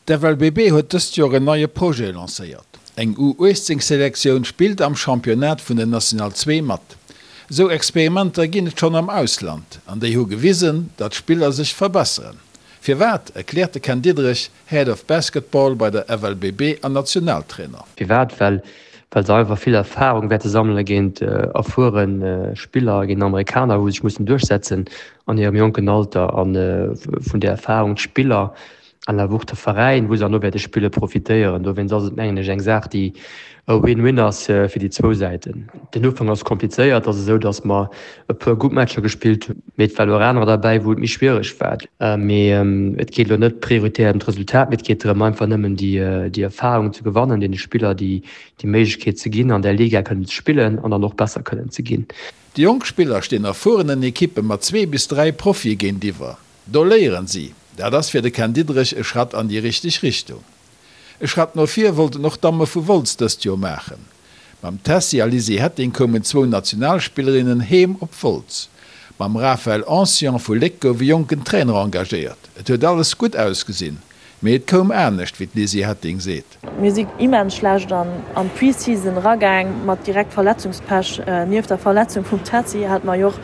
D'FLBB huet dëst Joer en neie Projet lancéiert. Eng U18 Selektioun spillt am Championnat vun der National 2 mat. Esou Experimenter ginn et schonn am Ausland an déi hu gewisen, datt Spiller sech verbesseren. Firwat, erkläert de Ken Diederich, Head of Basketball bei der FLBB an Nationaltrainer. Firwat? Well well se einfach vill Erfarung wäerte sammele géint erfuere Spiller, géint Amerikaner, wou se sech mussen duerchsetzen an hirem jonken Alter a vun där Erfarung d'Spiller an awer och de Veräin, wou se herno wäerte spillen, profitéieren. Dowéinst ass et, mengen ech, eng Saach, déi e Win-Win ass fir déi zwou Säiten. Den Ufank ass komplizéiert. Et ass esou, datt mer e puer gutt Matcher gespillt hunn, mee et waren och anerer derbäi, wou et méi schwiereg war. Mee et geet elo net prioritär ëm d'Resultat, mee et geet drëm, einfach nëmmen déi Erfarung ze gewannen, deene Spiller déi Méiglechkeet ze ginn, an där Liga kënnen ze spillen an dann och besser kënnen ze ginn. Déi jonk Spiller stinn erfuerenen Ekippe mat zwee bis 3 Profie géintiwwer. Do léieren si. Dat ass fir de Ken Diederich e Schratt an déi richteg Richtung. E Schratt no vir wollten och d'Damme vu Wolz dëst Joer maachen. Mam Tessy a Lizzie Hetting koumen zwou Nationalspillerinnen heem op Wolz. Mam Raphaël Ancient vu Léck gouf e jonken Trainer engagéiert. Et huet alles gutt ausgesinn, Mee et koum anescht, wéi d'Lizzie Hetting seet. Mir si immens schlecht an d'Pre-Season eragaang, mat direkt Verletzungspech. Nieft der Verletzung vum Tessy hate mer jo och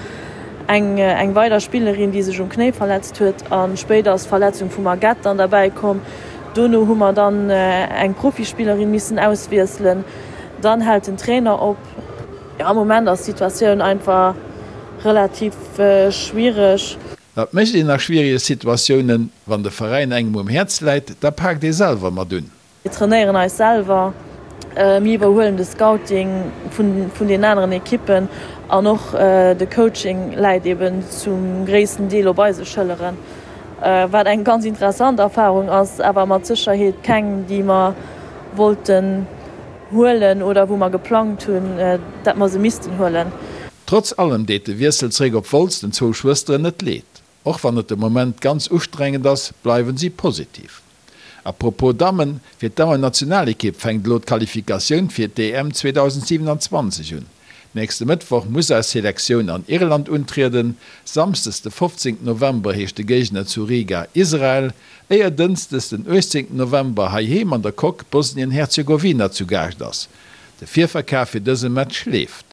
eng weider Spillerin, déi sech um Knéi verletzt huet. A spéider ass d'Verletzung vum Agathe dann derbäi komm. Dono hu mer dann eng Profispillerin missen auswiesselen. Dann hält den Trainer op. Jo, am Moment ass d'Situatioun einfach relativ schwiereg. Wat mécht een a schwierige Situatiounen? Wann de Veräin engem um Häerz läit, da paakt ee selwer mat un. Mir trainéieren eis selwer, mir iwwerhuelen de Scouting vun den aneren Ekippen an och de Coaching läit eben zum gréissten Deel op eise Schëlleren, wat eng ganz interessant Erfarung ass, awer mat Sécherheet keng, déi mer wollten huelen oder wou mer geplangt hunn, dat mer se missten huelen. Trotz allem deet de Wiessel zeréck op Wolz den zwou Schwësteren net leed. Och wann et de Moment ganz ustrengend ass, bleiwen si positiv. A propos Dammen, fir d'Dammennationalekipp fänkt elo d'Qualifikatioun fir d'EM 2027 un. Nächste Mëttwoch muss eis Selektioun an Irland untrieden, Samsdes de 15 November heescht de Géigner zu Riga Israel, éier Dënschdes den 18 November heiheem an der Coque Bosnien-Herzegowina zu Gaascht ass. De Virverkaf fir dëse Match leeft.